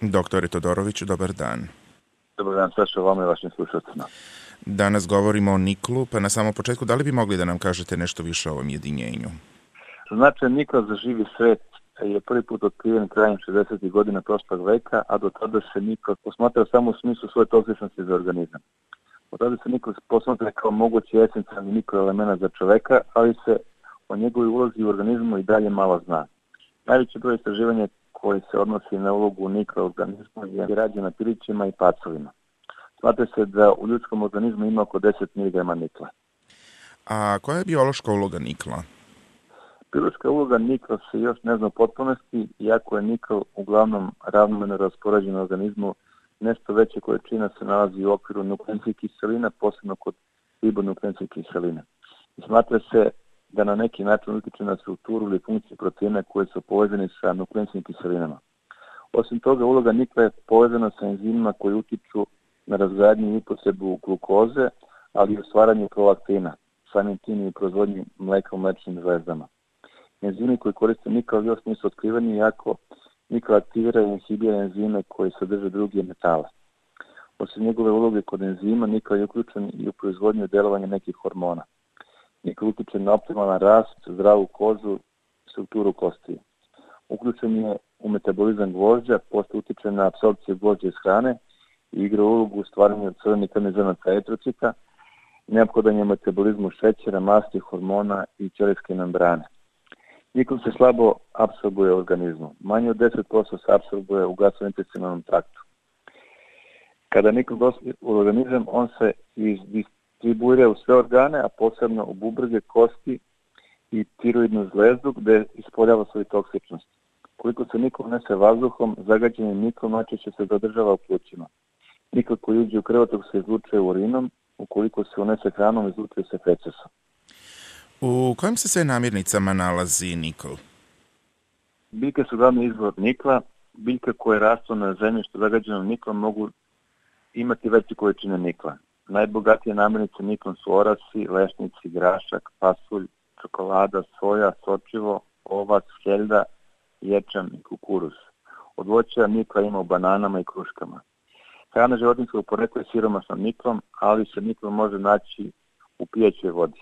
Doktore Todoroviću, dobar dan. Dobar dan, Saša, vama i vašim slušateljima. Danas govorimo o niklu, pa na samom početku, da li bi mogli da nam kažete nešto više o ovom jedinjenju? Značaj nikla za živi svet je prvi put otkriven krajem 60. godina prošlog veka, a do tada se nikl posmatrao samo u smislu svoje toksičnosti za organizam. Od tada se nikl posmatra kao mogući esencijalni mikroelement za čoveka, ali se o njegovoj ulozi u organizmu i dalje malo zna. Najveći broj istraživanja koji se odnosi na ulogu nikla u organizmu je rađen na pilićima i pacovima. Smatra se da u ljudskom organizmu ima oko 10 mg nikla. A koja je biološka uloga nikla? Biološka uloga nikla se još ne zna u potpunosti, iako je nikl uglavnom ravnomerno raspoređen u organizmu, nešto veće količina se nalazi u okviru nukleinskih kiselina, posebno kod ribonukleinskih kiselina. I smatra se da na neki način utiče na strukturu ili funkciju proteina koje su povezani sa nukleinskim kiselinama. Osim toga, uloga nikla je povezana sa enzimima koji utiču na razgradnju i upotrebu glukoze, ali i u stvaranju prolaktina, samim tim i u proizvodnji mleka u mlečnim žlezdama. Enzimi koji koriste nikl još nisu otkriveni, iako nikl aktivira i inhibira enzime koji sadrže druge metale. Osim njegove uloge kod enzima, nikl je uključen i u proizvodnju i delovanje nekih hormona. Nikl utiče na optimalan rast, zdravu kožu, strukturu kostiju. Uključen je u metabolizam gvožđa, pošto utiče na apsorpciju gvožđa iz hrane i igra ulogu u stvaranju crvenih krvnih zrnaca eritrocita, neophodan je metabolizmu šećera, masti, hormona i ćelijske membrane. Nikl se slabo apsorbuje u organizmu. Manje od 10% se apsorbuje u gastrointestinalnom traktu. Kada nikl dospije u organizam, on se distribuira u sve organe, a posebno u bubrege, kosti i tiroidnu zvezdu, gde ispoljava svoju toksičnost. Koliko se nikl unese vazduhom, zagađeni nikl najčešće se zadržava u plućima. Nikl koji uđe u krvotok se izlučuje urinom, ukoliko se unese hranom, izlučuje se fecesom. U kojim se sve namirnicama nalazi nikl? Biljke su glavni izvor nikla. Biljke koje rastu na zemljištu zagađenom niklom mogu imati veće količine nikla. Najbogatije namirnice niklom su orasi, lešnici, grašak, pasulj, čokolada, soja, sočivo, ovac, heljda, ječam i kukuruz. Od voća nikla ima u bananama i kruškama. Hrana životinjskog porekla je siromašna niklom, ali se nikl može naći u pijaćoj vodi.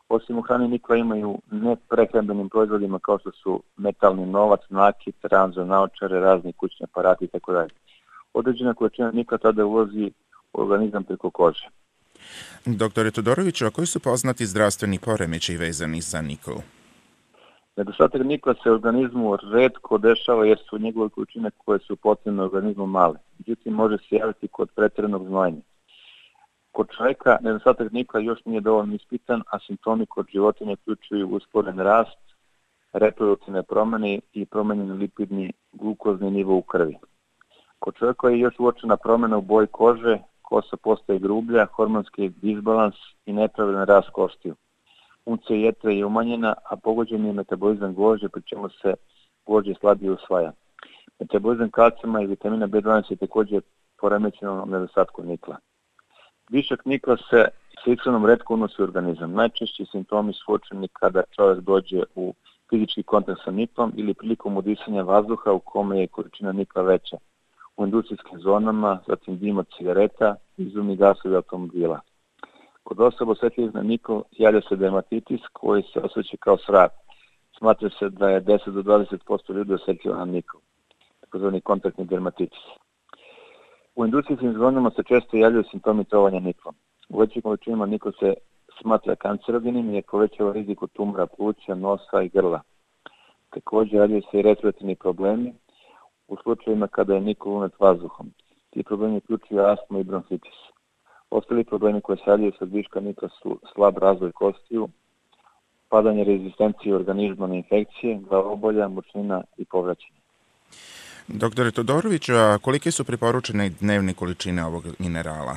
Osim u hrani nikla imaju neprehrambenim proizvodima kao što su metalni novac, nakit, ranza, naočare, razni kućni aparati itd. Određena količina nikla tada ulazi u organizam preko kože. Doktore Todoroviću, a koji su poznati zdravstveni poremećaji vezani za nikl? Nedostatak nikla se u organizmu retko dešava jer su njegove količine koje su potrebne u organizmu male. Međutim, može se javiti kod pretjeranog znojenja. Kod čoveka nedostatak nikla još nije dovoljno ispitan, a simptomi kod životinja uključuju usporen rast, reproduktivne promene i promenjeni lipidni glukozni nivo u krvi. Kod čoveka je još uočena promena u boji kože, kosa postaje grublja, hormonski disbalans i nepravilan rast kostiju. Funkcija jetre je umanjena, a pogođen je metabolizam gvožđa, pri čemu se gvožđe slabije usvaja. Metabolizam kalcijuma i vitamina B12 je također poremećeno na nedostatku nikla. Višak nikla se s ishranom retko unosi u organizam. Najčešći simptomi su uočeni kada čovjek dođe u fizički kontakt sa niklom ili prilikom udisanja vazduha u kome je količina nikla veća. U industrijskim zonama, zatim dim od cigareta, izumni gasovi automobila. Kod osoba osjetljivih na nikl javlja se dermatitis koji se osjeća kao svrab. Smatra se da je 10 do 20% ljudi osjetljivo na nikl, takozvani kontaktni dermatitis. U industrijskim zonama se često javljaju simptomi trovanja niklom. U većim količinama nikl se smatra kancerogenim i povećava rizik od tumora pluća, nosa i grla. Također javljaju se i respiratorni problemi u slučajevima kada je nikl unet vazduhom. Ti problemi uključuju astmu i bronhitis. Ostali problemi koje se javljaju sa viška nikla su slab razvoj kostiju, padanje rezistencije organizma na infekcije, glavobolja, mučnina i povraćanje. Doktore Todoroviću, a kolike su preporučene dnevne količine ovog minerala?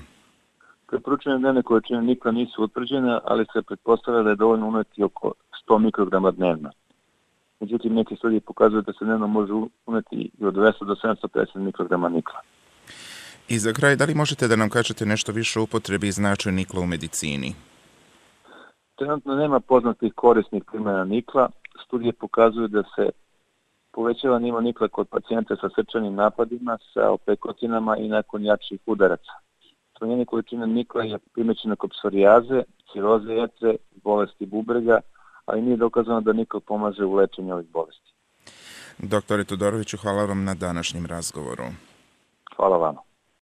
Preporučene dnevne količine nikla nisu utvrđene, ali se pretpostavlja da je dovoljno uneti oko 100 mikrograma dnevno. Međutim, neke studije pokazuju da se dnevno može uneti i od 200 do 750 mikrograma nikla. I za kraj, da li možete da nam kažete nešto više o upotrebi i značaju nikla u medicini? Trenutno nema poznatih korisnih primjena nikla. Studije pokazuju da se Povećava nivo nikla kod pacijenta sa srčanim napadima, sa opekotinama i nakon jačih udaraca. Smanjenje količine nikla je primećeno kod psorijaze, ciroze jetre, bolesti bubrega, ali nije dokazano da nikl pomaže u lečenju ovih bolesti. Doktore Todoroviću, hvala vam na današnjem razgovoru. Hvala vama.